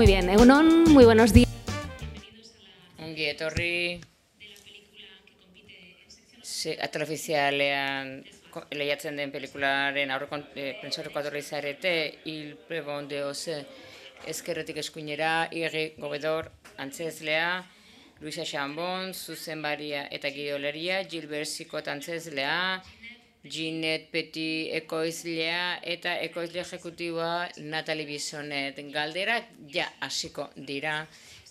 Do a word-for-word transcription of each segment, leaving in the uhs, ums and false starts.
Muy bien, egunon, muy buenos días. Ongi etorri atal ofizialean lehiatzen den pelikularen aurreko prentsaurrekoa etorri zarete, Il Prebon de Ose ezkerretik eskuinera, Irri Gobedor antzezlea, Luisa Chambon zuzenbaria eta gidoleria, Gilbert Sicot antzezlea, Ginette Petit ekoizlea eta ekoizle ejekutiboa Natalie Bissonet. Galderak ja hasiko dira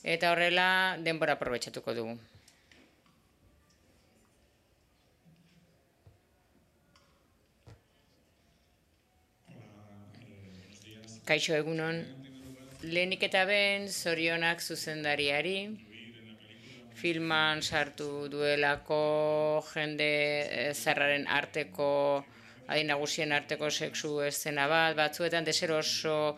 eta horrela denbora aprobetxatuko dugu. Kaixo egunon, lehenik eta ben zorionak zuzendariari, filman sartu duelako jende zarraren arteko, adin nagusien arteko sexu eszena bat, batzuetan deseroso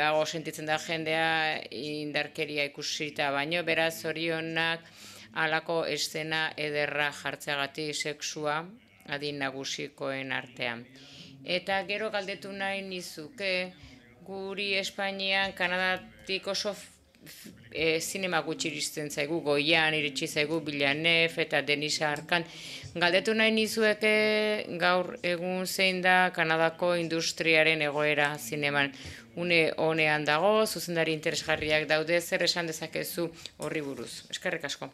hago sentitzen da jendea indarkeria ikusita baino, beraz zorionak halako eszena ederra jartzeagatik sexua adin nagusikoen artean. Eta gero galdetu nahi nizuke, guri Espainian, Kanadatik oso zinema gutxi iristen zaigu, Goian iritsi zaigu, Villeneuve eta Denis Arcand. Galdetu nahi nizueke gaur egun zein da Kanadako industriaren egoera zineman. Une honean dago, zuzendari interesgarriak daude, zer esan dezakezu horri buruz. Eskerrik asko.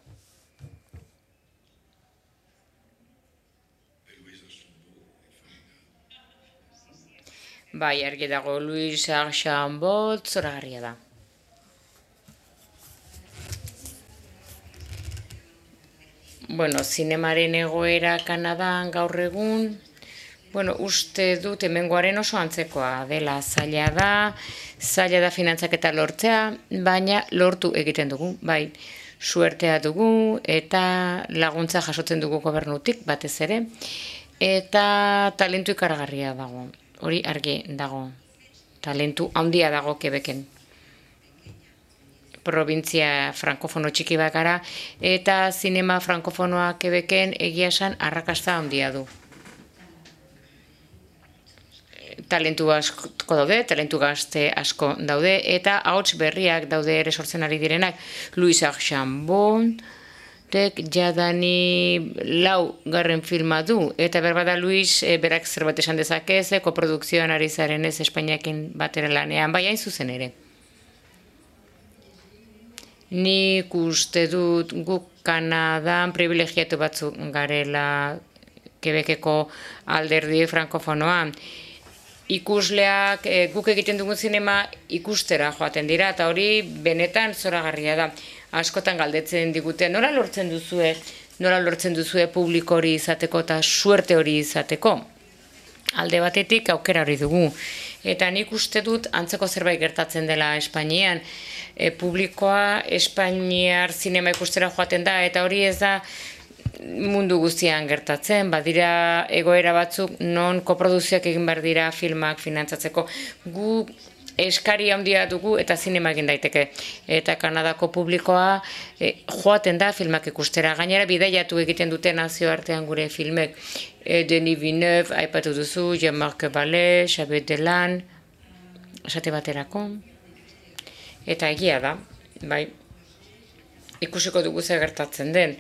Bai, argi dago, Luis Archambault zoragarria da. Bueno, zinemaren egoera Kanadan gaur egun, bueno, uste dut hemengoaren oso antzekoa dela, zaila da, zaila da finantzaketa lortzea, baina lortu egiten dugu, bai, suertea dugu eta laguntza jasotzen dugu gobernutik batez ere, eta talentu ikaragarria dago. Hori argi dago, talentu handia dago Quebecen. Provintzia frankofono txiki bakara, eta zinema frankofonoa Quebecen egia esan arrakasta handia du. Talentu asko daude, talentu gazte asko daude, eta ahots berriak daude ere sortzen ari direnak. Luis Archambault, jadani lau garren filma du, eta berbada Luis berak zerbait esan dezakez, koprodukzioan ari zaren ez Espainiakin batera lanean, bai hain zuzen ere. Nik uste dut guk Kanadan privilegiatu batzuk garela Quebeceko alderdi frankofonoan. Ikusleak guk egiten dugun zinema ikustera joaten dira, eta hori benetan zoragarria da. Askotan galdetzen digute, nola lortzen duzue, nola lortzen duzue publiko hori izateko eta suerte hori izateko. Alde batetik aukera hori dugu. Eta nik uste dut antzeko zerbait gertatzen dela Espainian. E, publikoa Espainiar zinema ikustera joaten da, eta hori ez da mundu guztian gertatzen, badira egoera batzuk non koproduzioak egin behar dira filmak finantzatzeko. Gu eskari handia dugu eta zinema egin daiteke. Eta Kanadako publikoa e, joaten da filmak ikustera. Gainera bidaiatu egiten dute nazioartean gure filmek. E, Denis Villeneuve, aipatu duzu, Jean-Marc Vallée, Xavier Dolan, esate baterako. Eta egia da, bai, ikusiko dugu zer gertatzen den.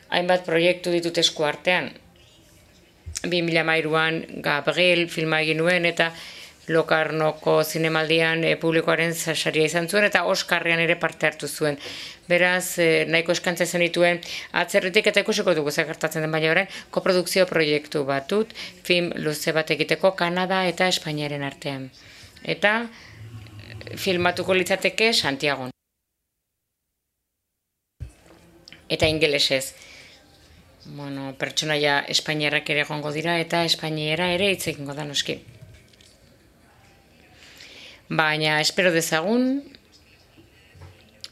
Hainbat proiektu ditut esku artean. bi mila hamairuan Gabriel filma egin nuen eta Lokarnoko zinemaldian e, publikoaren saria izan zuen eta Oskarrean ere parte hartu zuen. Beraz, e, nahiko eskantza zen dituen atzerritik eta ikusiko dugu zer gertatzen den, baina orain koprodukzio proiektu batut, film luze bat egiteko Kanada eta Espainiaren artean. Eta filmatuko litzateke Santiagon. Eta ingelesez. Bueno, pertsonaia espainiarrak ere egongo dira eta espainiera ere hitz egingo da noski. Baina espero dezagun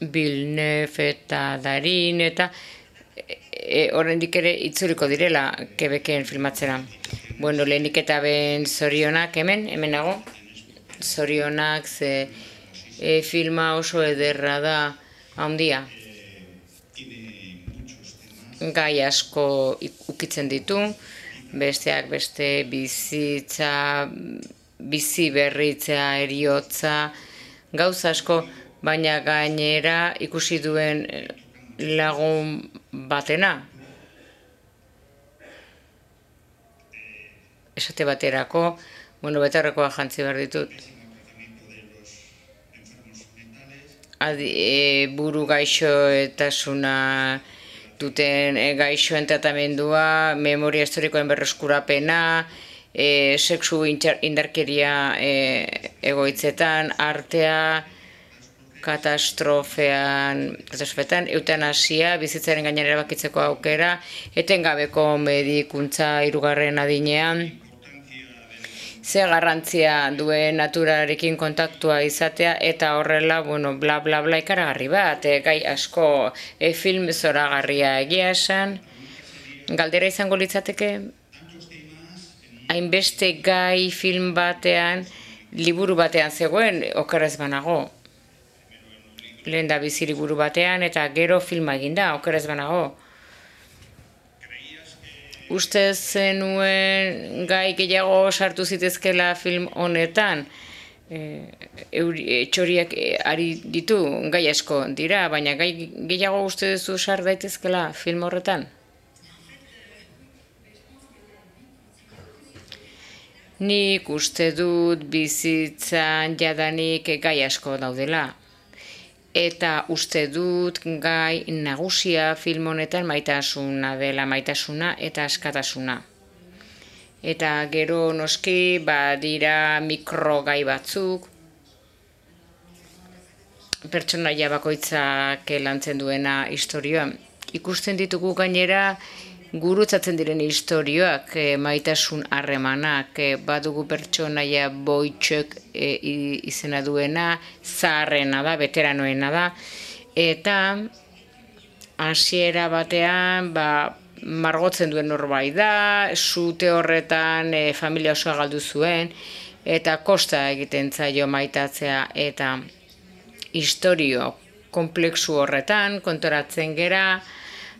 Villeneuve eta Darin eta e, oraindik ere itzuliko direla Quebecen filmatzera. Bueno, lehenik eta ben zorionak hemen, hemen nago. Zorionak ze e, filma oso ederra da handia. Gai asko ukitzen ditu, besteak beste bizitza, bizi berritzea, eriotza, gauza asko baina gainera ikusi duen lagun batena. Esate baterako, bueno, betarrekoa jantzi behar ditut. Adi, e, buru gaixoetasuna duten e, gaixoen tratamendua, memoria historikoen berreskurapena, e, sexu indarkeria e, egoitzetan, artea, katastrofean, katastrofetan, eutanasia, bizitzaren gainean erabakitzeko aukera, etengabeko medikuntza hirugarren adinean, ze garrantzia duen naturarekin kontaktua izatea, eta horrela, bueno, bla bla bla ikaragarri bat, e, gai asko e, film zoragarria egia esan. Galdera izango litzateke, hainbeste gai film batean, liburu batean zegoen, okerrez banago. Lehen da bizi liburu batean, eta gero filma eginda, okerrez banago. Uste zenuen gai gehiago sartu zitezkela film honetan, e, txoriak ari ditu, gai asko dira, baina gai gehiago uste duzu sar daitezkela film horretan? Nik uste dut bizitzan jadanik gai asko daudela. Eta uste dut gai nagusia film honetan maitasuna dela, maitasuna eta askatasuna. Eta gero noski badira mikrogai batzuk, pertsonaia bakoitzak lantzen duena istorioa. Ikusten ditugu gainera gurutzatzen diren istorioak, e, maitasun harremanak, e, badugu pertsonaia boitxek e, izena duena, zaharrena da, veteranoena da, eta hasiera batean, ba, margotzen duen norbait da, sute horretan e, familia osoa galdu zuen, eta kosta egiten zaio maitatzea, eta istorio kompleksu horretan kontoratzen gera,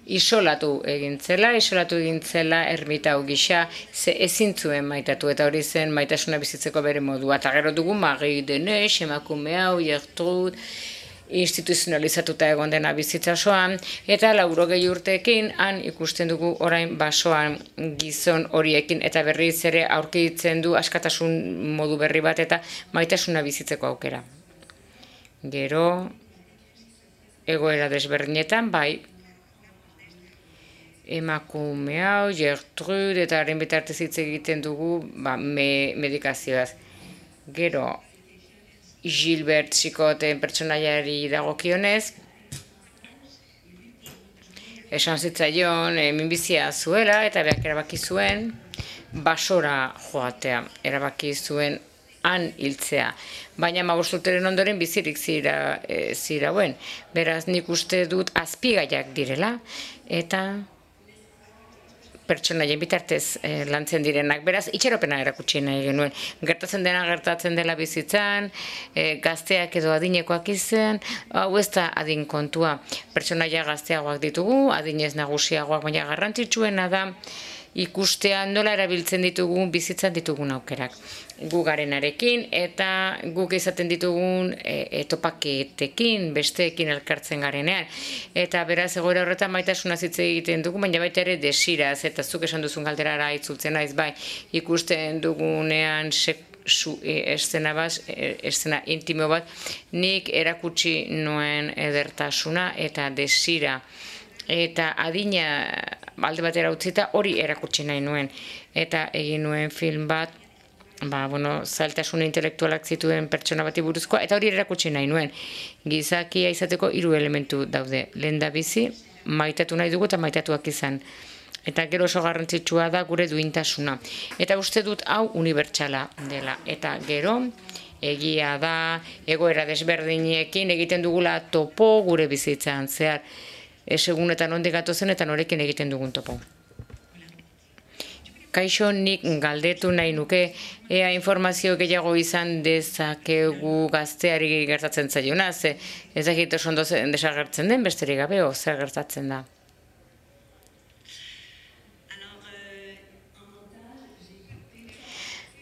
isolatu egintzela, isolatu egintzela ermitau gisa, ze ezin zuen maitatu, eta hori zen maitasuna bizitzeko bere modua. Eta gero dugu Magi Denez, emakume hau, Gertrud, instituzionalizatuta egon dena bizitza osoan, eta laurogei urteekin han ikusten dugu orain basoan gizon horiekin, eta berriz ere aurkitzen du askatasun modu berri bat, eta maitasuna bizitzeko aukera. Gero, egoera desberdinetan, bai, emakume hau, Gertrud, eta haren bitartez hitz egiten dugu ba, me, medikazioaz. Gero, Gilbert Chicoten pertsonaiari dagokionez, esan zitzaion e, minbizia zuela, eta berak erabaki zuen basora joatea, erabaki zuen han hiltzea. Baina hamabost urteren ondoren bizirik zira, e, zirauen. Beraz, nik uste dut azpigaiak direla, eta pertsonaien bitartez eh, lantzen direnak. Beraz, itxaropena erakutsi nahi genuen. Gertatzen dena gertatzen dela bizitzan, eh, gazteak edo adinekoak izan, hau ez da adin kontua. Pertsonaia gazteagoak ditugu, adinez nagusiagoak, baina garrantzitsuena da ikustean nola erabiltzen ditugun bizitzan ditugun aukerak. Gu garenarekin eta guk izaten ditugun e, topaketekin, besteekin elkartzen garenean. Eta beraz egoera horretan maitasuna hitz egiten dugu, baina baita ere desiraz, eta zuk esan duzun galderara itzultzen naiz, bai, ikusten dugunean sexu eszena bat, eszena intimo bat, nik erakutsi nuen edertasuna eta desira. Eta adina alde batera utzita hori erakutsi nahi nuen. Eta egin nuen film bat, ba, bueno, zailtasun intelektualak zituen pertsona bati buruzkoa, eta hori erakutsi nahi nuen. Gizakia izateko hiru elementu daude. Lehendabizi, maitatu nahi dugu eta maitatuak izan. Eta gero oso garrantzitsua da gure duintasuna. Eta uste dut hau unibertsala dela. Eta gero, egia da, egoera desberdinekin egiten dugula topo gure bizitzan zehar. Esegun eta nondik gatozen eta norekin egiten dugun topo. Kaixo, nik galdetu nahi nuke, ea informazio gehiago izan dezakegu gazteari gertatzen zaiona, ze ez dakit oso ondo desagertzen den, besterik gabe, o zer gertatzen da.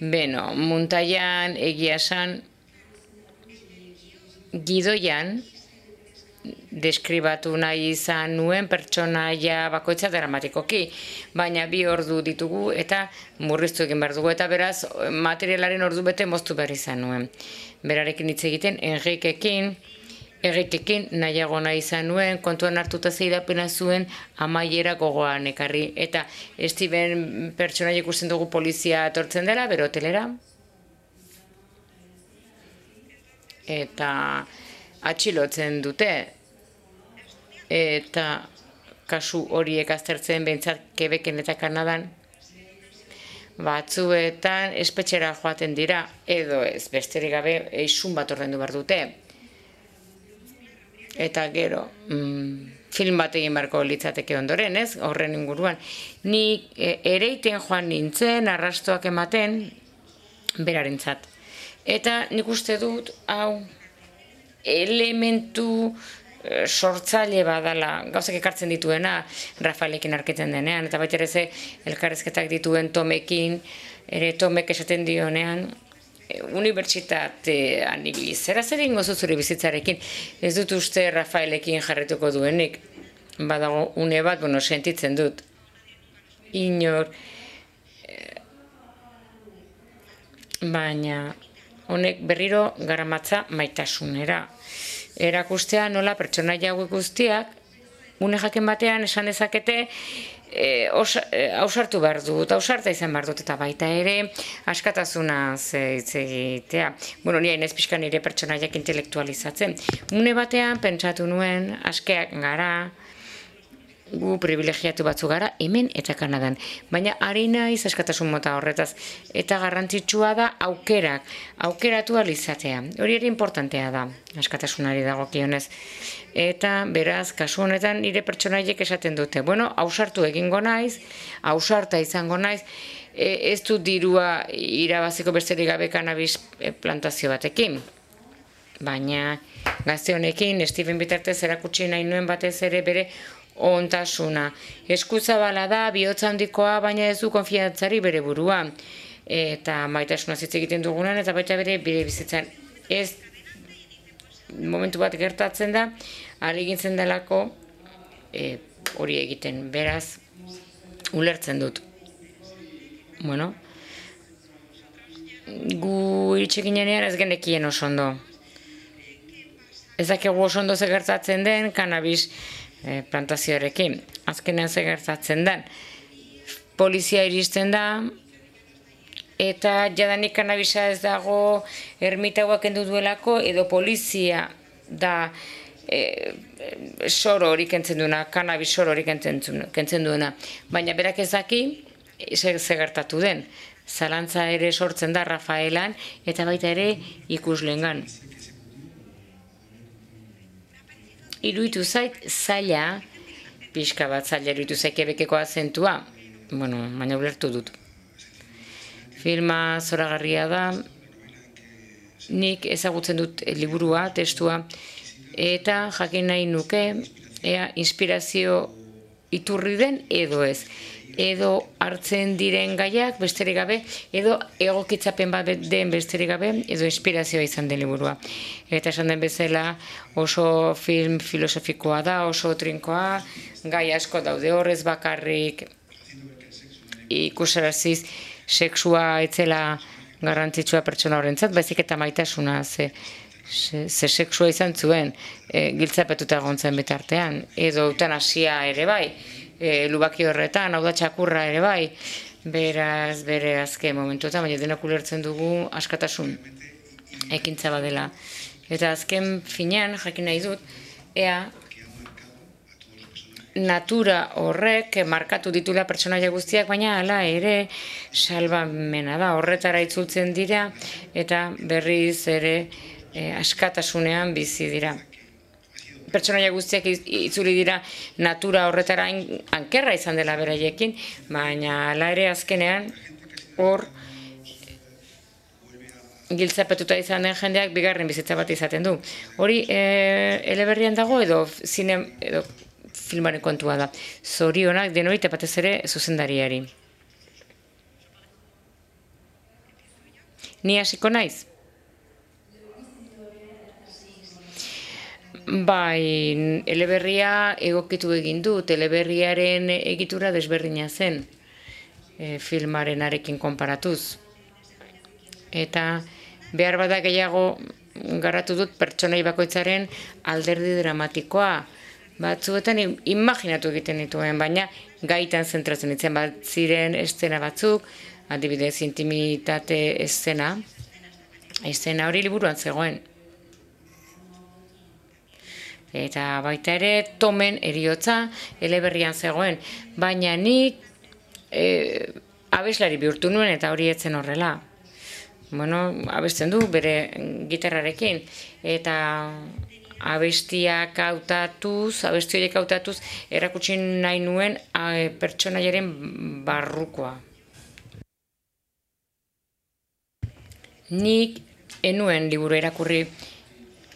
Beno, muntaian egia esan gidoian deskribatu nahi izan nuen pertsonaia bakoitza dramatikoki, baina bi ordu ditugu eta murriztu egin behar dugu, eta beraz materialaren ordu bete moztu behar izan nuen. Berarekin hitz egiten, Enrikekin, Enrikekin nahiago nahi izan nuen, kontuan hartuta zeidapena zuen amaiera gogoan ekarri, eta Steven pertsonaia ikusten dugu polizia etortzen dela, bere hotelera, eta atxilotzen dute, eta kasu horiek aztertzen behintzat Quebecen eta Kanadan batzuetan espetxera joaten dira, edo ez, besterik gabe eisun bat ordaindu behar dute. Eta gero, mm, film bat egin beharko litzateke ondoren, ez, horren inguruan. Ni e, ereiten joan nintzen, arrastoak ematen, berarentzat. Eta nik uste dut, hau, elementu e, sortzaile badala, gauzak ekartzen dituena, Rafaelekin arketen denean, eta baita ere ze elkarrezketak dituen Tomekin, ere Tomek esaten dionean, e, unibertsitatean ibili, zera zer egingo zu zure bizitzarekin, ez dut uste Rafaelekin jarrituko duenik, badago une bat, bueno, sentitzen dut, inor, e, baina, honek berriro garamatza maitasunera. Erakustea nola pertsonaia hauek guztiak, une jaken batean esan dezakete, e, ausartu behar dut, ausarta izan behar dut, eta baita ere askatasuna hitz egitea. Bueno, nire hainez pixka nire pertsonaiak intelektualizatzen. Une batean pentsatu nuen, askeak gara, gu privilegiatu batzu gara, hemen eta Kanadan. Baina ari naiz askatasun mota horretaz. Eta garrantzitsua da aukerak, aukeratu alizatea. Hori ere importantea da, askatasunari dagokionez. Eta beraz, kasu honetan nire pertsonaiek esaten dute. Bueno, ausartu egingo naiz, ausarta izango naiz, e, ez du dirua irabaziko besterik gabe kanabis plantazio batekin. Baina gazte honekin, Steven bitartez erakutsi nahi nuen batez ere bere ontasuna. Eskuzabala da, bihotza handikoa, baina ez du konfiantzari bere burua. Eta maitasuna hitz egiten dugunan, eta baita bere bere bizitzan. Ez momentu bat gertatzen da, ari gintzen delako e, hori egiten. Beraz, ulertzen dut. Bueno, gu iritsi ginenean ez genekien oso ondo. Ez dakigu oso ondo ze gertatzen den, kanabis E, plantazioarekin. Azkenean ze gertatzen den. Polizia iristen da, eta jadanik kanabisa ez dago ermitauak kendu duelako, edo polizia da e, soro hori kentzen duena, kanabis soro hori kentzen duena. Baina berak ez daki, ze, ze gertatu den. Zalantza ere sortzen da Rafaelan, eta baita ere ikuslengan. Iruditu zait zaila, pixka bat zaila iruditu zait Quebeceko azentua, bueno, baina ulertu dut. Filma zoragarria da, nik ezagutzen dut liburua, testua, eta jakin nahi nuke, ea inspirazio iturri den edo ez. Edo hartzen diren gaiak besterik gabe, edo egokitzapen bat den besterik gabe, edo inspirazioa izan den liburua. Eta esan den bezala oso film filosofikoa da, oso trinkoa, gai asko daude horrez bakarrik ikusaraziz sexua etzela garrantzitsua pertsona horrentzat, baizik eta maitasuna ze, ze, ze sexua izan zuen e, giltzapetuta egontzen bitartean, edo eutanasia ere bai, E, lubaki horretan, hau da txakurra ere bai, beraz, bere azken momentuetan, baina denak ulertzen dugu askatasun ekintza badela. Eta azken finean, jakin nahi dut, ea natura horrek markatu ditula pertsonaia guztiak, baina hala ere salbamena da, horretara itzultzen dira, eta berriz ere e, askatasunean bizi dira. Pertsonaia guztiak itzuli dira natura horretara ankerra izan dela beraiekin, baina hala ere azkenean hor giltzapetuta izan den jendeak bigarren bizitza bat izaten du. Hori e, eleberrian dago edo zine edo filmaren kontua da. Zorionak denoi eta batez ere zuzendariari. Ni hasiko naiz? Bai, eleberria egokitu egin du, eleberriaren egitura desberdina zen e, filmarenarekin konparatuz. Eta behar bada gehiago garatu dut pertsonai bakoitzaren alderdi dramatikoa. Batzuetan imaginatu egiten dituen, baina gaitan zentratzen ditzen bat ziren eszena batzuk, adibidez intimitate eszena, eszena hori liburuan zegoen. Eta baita ere Tomen heriotza eleberrian zegoen, baina nik e, abeslari bihurtu nuen eta hori etzen horrela. Bueno, abesten du bere gitarrarekin, eta abestiak hautatuz, abesti horiek hautatuz, erakutsi nahi nuen a, pertsonaiaren barrukoa. Nik enuen liburu erakurri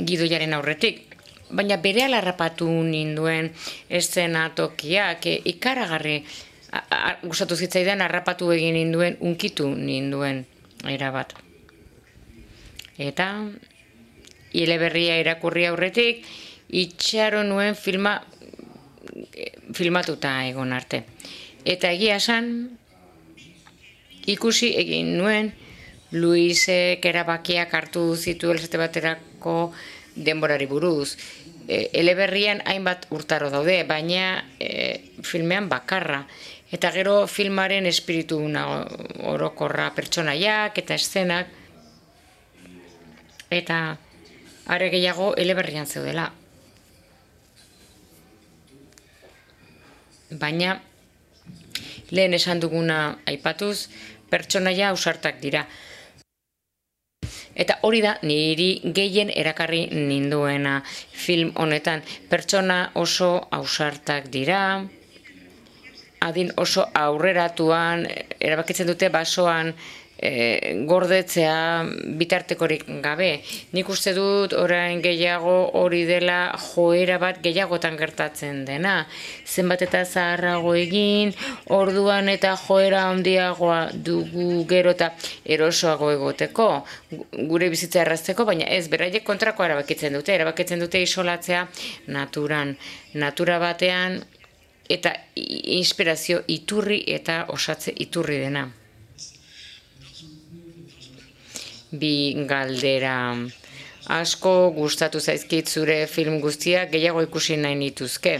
gidoiaren aurretik, baina berehala harrapatu ninduen eszenatokiak e, ikaragarri gustatu zitzaidan harrapatu egin ninduen, unkitu ninduen erabat. Eta eleberria irakurri aurretik itxaro nuen filma filmatuta egon arte. Eta egia esan ikusi egin nuen Luisek erabakiak hartu zituela esate baterako denborari buruz. E, eleberrian hainbat urtaro daude, baina e, filmean bakarra. Eta gero filmaren espiritu orokorra pertsonaiak eta eszenak. Eta are gehiago eleberrian zeudela. Baina lehen esan duguna aipatuz, pertsonaia ausartak dira. Eta hori da niri gehien erakarri ninduena film honetan. Pertsona oso ausartak dira, adin oso aurreratuan, erabakitzen dute basoan e, gordetzea bitartekorik gabe. Nik uste dut orain gehiago hori dela joera bat gehiagotan gertatzen dena. Zenbat eta zaharrago egin, orduan eta joera handiagoa dugu gero eta erosoago egoteko, gure bizitza errazteko, baina ez, beraiek kontrako erabakitzen dute, erabakitzen dute isolatzea naturan, natura batean, eta inspirazio iturri eta osatze iturri dena. Bi galdera. Asko gustatu zaizkit zure film guztiak, gehiago ikusi nahi nituzke.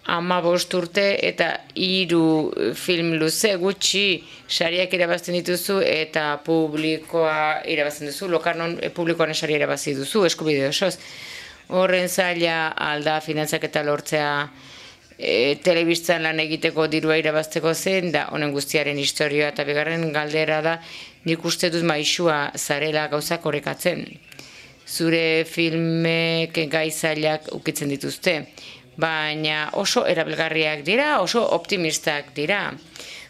Hamabost urte eta hiru film luze gutxi sariak irabazten dituzu eta publikoa irabazten duzu, Locarnon publikoaren saria irabazi duzu, eskubide osoz. Horren zaila alda finantzak eta lortzea e, telebistan lan egiteko dirua irabazteko zen, da honen guztiaren historia eta bigarren galdera da, nik uste dut maisua zarela gauzak orekatzen. Zure filmek gai zailak ukitzen dituzte, baina oso erabilgarriak dira, oso optimistak dira.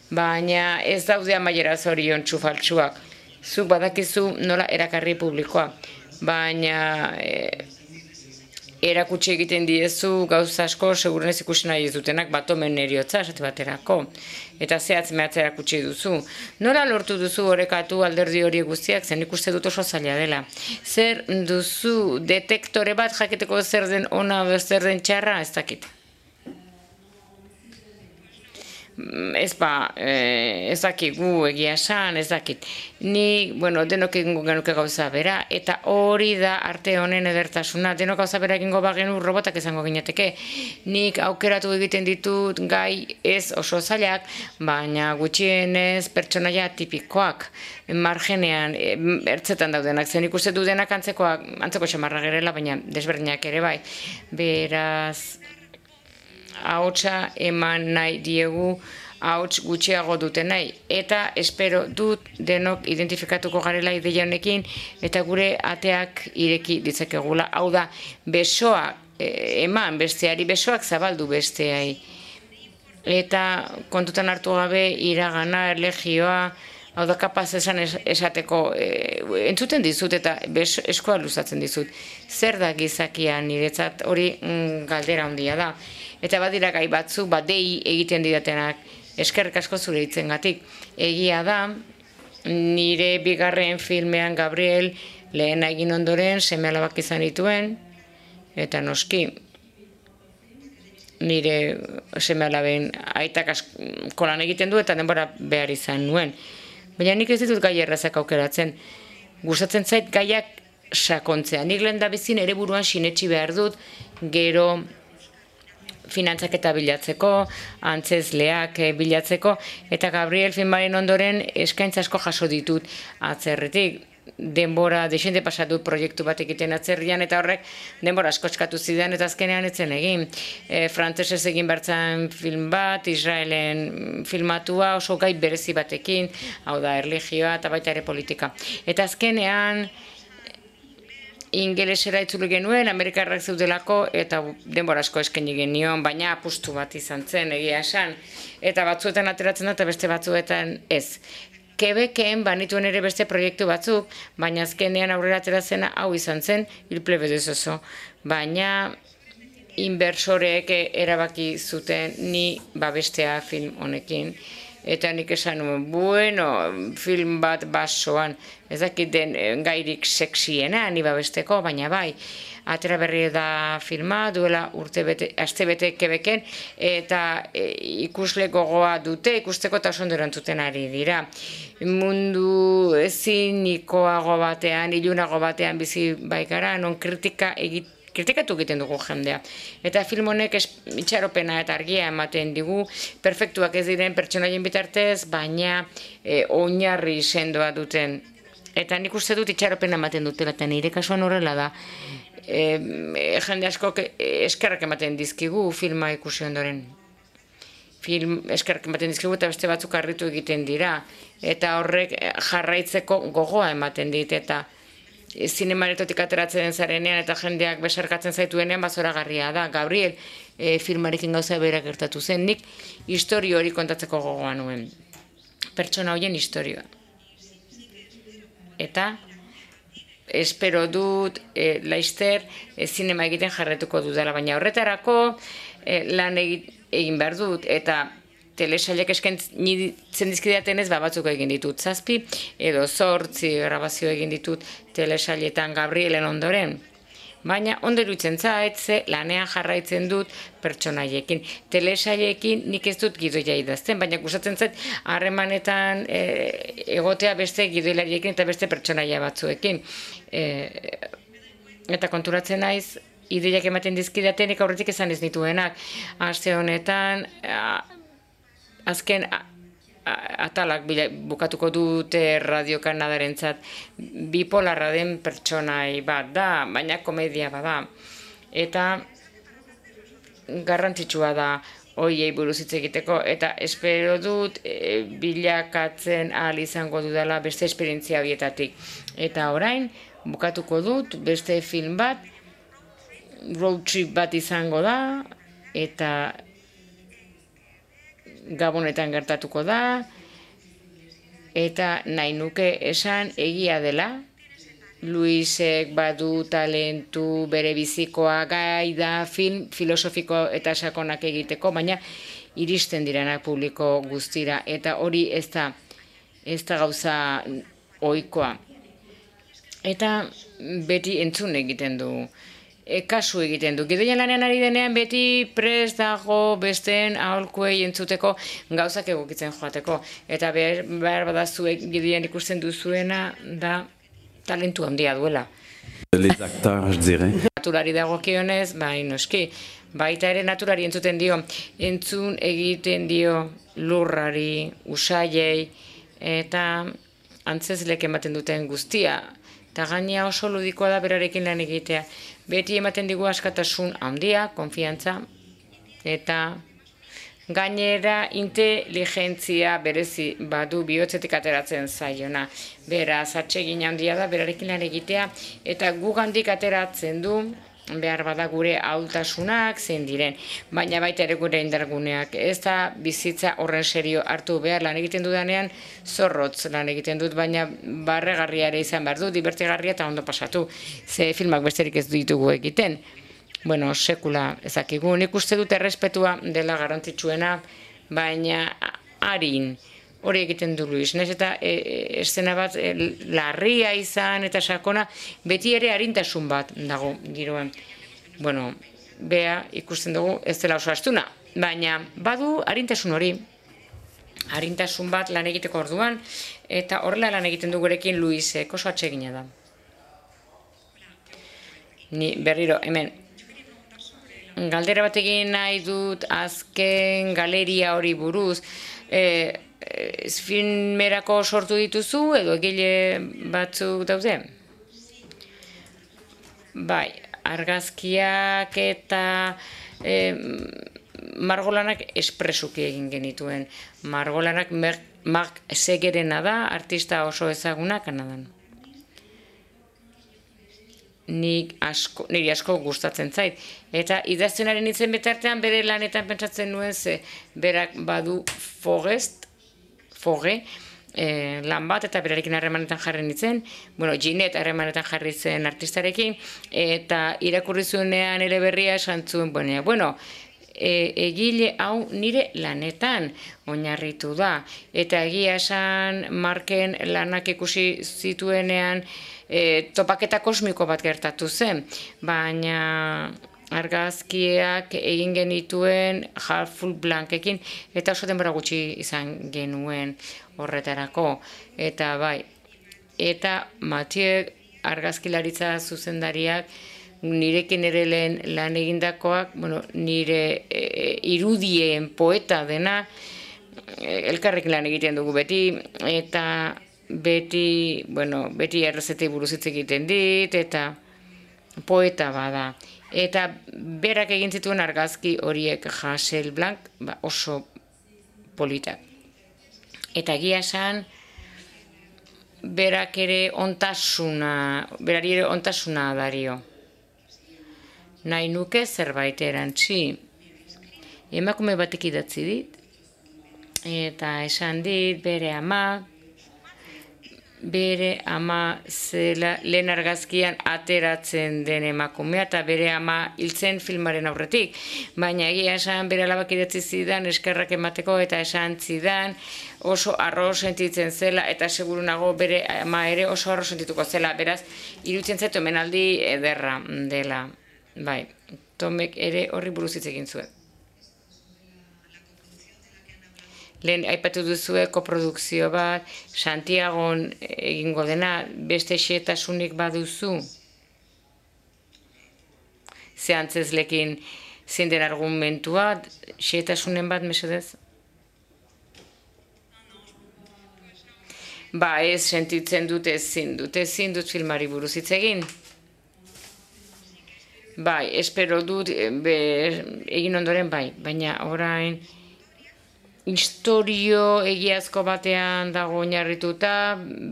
Baina ez daude amaiera zorion txufaltsuak. Zuk badakizu nola erakarri publikoa, baina e, erakutsi egiten diezu gauza asko segurenez ikusi nahi ez dutenak batomen heriotza esate baterako. Eta zehatz mehatz erakutsi duzu. Nola lortu duzu orekatu alderdi horiek guztiak, zen ikuste dut oso zaila dela. Zer duzu detektore bat jakiteko zer den ona zer den txarra, ez dakit. Ez ba, ez dakigu egia esan, ez dakit. Ni, bueno, denok egingo genuke gauza bera, eta hori da arte honen edertasuna. Denok gauza bera egingo bagenu robotak izango ginateke. Nik aukeratu egiten ditut gai ez oso zailak, baina gutxienez pertsonaia tipikoak, margenean, ertzetan daudenak. Zen ikuste du denak antzekoak, antzeko xamarra gerela, baina desberdinak ere bai. Beraz, ahotsa eman nahi diegu ahots gutxiago dute nahi. Eta espero dut denok identifikatuko garela ideia honekin eta gure ateak ireki ditzakegula. Hau da, besoak eman besteari, besoak zabaldu besteai. Eta kontutan hartu gabe iragana, erlegioa, hau da kapaz esan esateko, entzuten dizut eta eskoa luzatzen dizut. Zer da gizakia niretzat hori galdera handia da. Eta badira gai batzu, bat dei egiten didatenak, eskerrik asko zure hitzengatik. Egia da, nire bigarren filmean Gabriel lehen egin ondoren seme alabak izan dituen, eta noski, nire seme-alaben aitak asko lan egiten du eta denbora behar izan nuen. Baina nik ez ditut gai errazak aukeratzen. Gustatzen zait gaiak sakontzea. Nik lehen da bizin ere buruan sinetsi behar dut, gero finantzaketa bilatzeko, antzezleak bilatzeko, eta Gabriel filmaren ondoren eskaintza asko jaso ditut atzerritik. Denbora desente pasatu proiektu bat egiten atzerrian, eta horrek denbora asko eskatu zidan, eta azkenean etzen egin. E, Frantsesez egin bertzan film bat, Israelen filmatua, oso gai berezi batekin, hau da, erlijioa eta baita ere politika. Eta azkenean, ingelesera itzuli genuen, Amerikarrak zeudelako, eta denbora asko eskaini genion, baina apustu bat izan zen, egia esan. Eta batzuetan ateratzen da, eta beste batzuetan ez. Quebecen banituen ere beste proiektu batzuk, baina azkenean aurrera ateratzena hau izan zen, Il pleve des oiseaux. Baina inbersoreek erabaki zuten ni babestea film honekin. Eta nik esan nuen, bueno, film bat basoan, ez dakit den gairik seksiena ni babesteko, baina bai, atera berri da filma, duela urte bete, aste bete Quebecen, eta e, ikusle gogoa dute, ikusteko eta oso ondo erantzuten ari dira. Mundu ezinikoago batean, ilunago batean bizi baikara, non kritika egit, kritikatu egiten dugu jendea. Eta film honek itxaropena eta argia ematen digu, perfektuak ez diren pertsonaien bitartez, baina e, oinarri sendoa duten. Eta nik uste dut itxaropena ematen dutela, eta nire kasuan horrela da. E, jende asko eskerrak ematen dizkigu filma ikusi ondoren. Film eskerrak ematen dizkigu eta beste batzuk harritu egiten dira. Eta horrek jarraitzeko gogoa ematen dit, eta zinemaretotik ateratzen den zarenean eta jendeak besarkatzen zaituenean bazoragarria da. Gabriel e, filmarekin gauza berak gertatu zen, nik historio hori kontatzeko gogoa nuen. Pertsona horien historioa. Eta espero dut e, laister e, zinema egiten jarretuko dudala, baina horretarako e, lan egin behar dut, eta telesailek eskaintzen dizkidatenez batzuk egin ditut zazpi, edo zortzi grabazio egin ditut telesailetan Gabrielen ondoren. Baina ondo iruditzen zait, ze lanean jarraitzen dut pertsonaiekin. Telesailekin nik ez dut gidoia idazten, baina gustatzen zait harremanetan e, egotea beste gidoilariekin eta beste pertsonaia batzuekin. E, eta konturatzen naiz, ideiak ematen dizkidatenik aurretik esan ez nituenak. Aste honetan, a, azken a, a, atalak bila, bukatuko dute Radio Kanadarentzat, bipolarra den pertsonai bat da, baina komedia bada. Eta garrantzitsua da hoiei buruz hitz egiteko, eta espero dut e, bilakatzen ahal izango dudala beste esperientzia horietatik. Eta orain, bukatuko dut beste film bat, road trip bat izango da, eta Gabonetan gertatuko da, eta nahi nuke esan egia dela, Luisek badu talentu bere bizikoa gai da film filosofiko eta sakonak egiteko, baina iristen direnak publiko guztira, eta hori ez da, ez da gauza ohikoa. Eta beti entzun egiten du. E, kasu egiten du. Gidoian lanean ari denean beti prest dago besteen aholkuei entzuteko gauzak egokitzen joateko. Eta behar, behar badazuek gidoian ikusten duzuena da talentu handia duela. Les acteurs, je dirais. Naturari dagokionez, bai noski, baita ere naturari entzuten dio, entzun egiten dio lurrari, usaiei, eta antzezlek ematen duten guztia. Eta gaina oso ludikoa da berarekin lan egitea. Beti ematen digu askatasun handia, konfiantza, eta gainera inteligentzia berezi badu bihotzetik ateratzen zaiona. Beraz, atsegin handia da berarekin lan egitea, eta gugandik ateratzen du behar bada gure ahultasunak zein diren, baina baita ere gure indarguneak. Ez da bizitza horren serio hartu behar lan egiten dudanean zorrotz lan egiten dut, baina barregarria ere izan behar du, divertigarria eta ondo pasatu. Ze filmak besterik ez ditugu egiten. Bueno, sekula ezakigu. Nik uste dut errespetua dela garrantzitsuena, baina harin hori egiten du Luis. Naiz eta e, eszena bat e, larria izan eta sakona, beti ere arintasun bat dago giroan. bueno, bea ikusten dugu ez dela oso astuna, baina badu arintasun hori, arintasun bat lan egiteko orduan, eta horrela lan egiten du gurekin Luisek, oso atsegina da. Ni berriro, hemen, galdera bat egin nahi dut azken galeria hori buruz, e, e, filmerako sortu dituzu edo egile batzuk daude? Bai, argazkiak eta e, margolanak espresuki egin genituen. Margolanak Mark Segerena da, artista oso ezaguna Kanadan. Nik asko, niri asko gustatzen zait. Eta idaztenaren itzen betartean bere lanetan pentsatzen nuen ze berak badu Forest, Foge, eh, lan bat eta berarekin harremanetan jarri nintzen, bueno, Ginette harremanetan jarri zen artistarekin, eta irakurri zuenean ere berria esan zuen, bueno, bueno e, egile hau nire lanetan oinarritu da, eta egia esan Marken lanak ikusi zituenean e, topaketa kosmiko bat gertatu zen, baina argazkiak egin genituen Half-Full Blankekin, eta oso denbora gutxi izan genuen horretarako, eta bai, eta Mathieu argazkilaritza zuzendariak nirekin ere lehen lan egindakoak, bueno, nire e, irudien poeta dena, elkarrekin lan egiten dugu beti, eta beti, bueno, beti errezetei buruz hitz egiten dit, eta poeta bada. Eta berak egin zituen argazki horiek Hasselblanc, ba, oso politak. Eta egia esan, berak ere ontasuna, berari ere ontasuna dario. Nahi nuke zerbait erantzi. Emakume batek idatzi dit, eta esan dit bere ama, bere ama zela lehen argazkian ateratzen den emakumea, eta bere ama hiltzen filmaren aurretik. Baina egia esan bere alabak idatzi zidan eskerrak emateko, eta esan zidan oso arro sentitzen zela, eta seguru nago bere ama ere oso arro sentituko zela. Beraz, iruditzen zaitu hemenaldi ederra dela. Bai, Tomek ere horri buruz hitz egin zuen. Lehen aipatu duzue koprodukzio bat, Santiagon egingo dena, beste xehetasunik baduzu? Ze antzezlekin zein den argumentua, xehetasunen bat, mesedez? Ba, ez sentitzen dut ezin dut, ezin dut filmari buruz hitz egin. Bai, espero dut, be, egin ondoren bai, baina orain historio egiazko batean dago oinarrituta,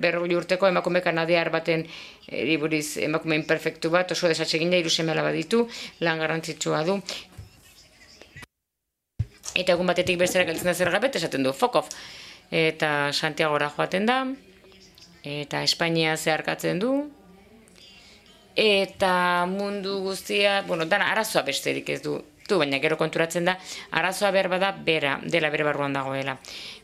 berrogei urteko emakume kanadiar baten eriburiz emakume imperfektu bat, oso desatsegina, hiru seme alaba ditu, lan garrantzitsua du. Eta egun batetik bestera gelditzen da zer gabet, esaten du Fokov. Eta Santiagora joaten da, eta Espainia zeharkatzen du, eta mundu guztia, bueno, dana arazoa besterik ez du, du, baina gero konturatzen da, arazoa behar bada bera, dela bere barruan dagoela.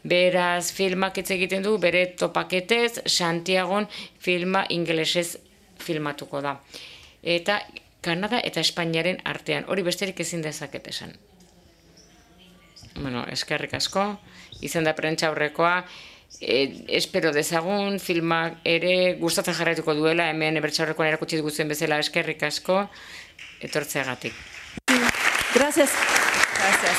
Beraz, filmak hitz egiten du, bere topaketez, Santiagon filma ingelesez filmatuko da. Eta Kanada eta Espainiaren artean, hori besterik ezin dezaket esan. Bueno, eskerrik asko, izan da prentsa aurrekoa, E, espero dezagun, filmak ere gustatzen jarraituko duela, hemen ebertsaurrekoan erakutsi dugutzen bezala eskerrik asko, etortzeagatik. Gracias. Gracias.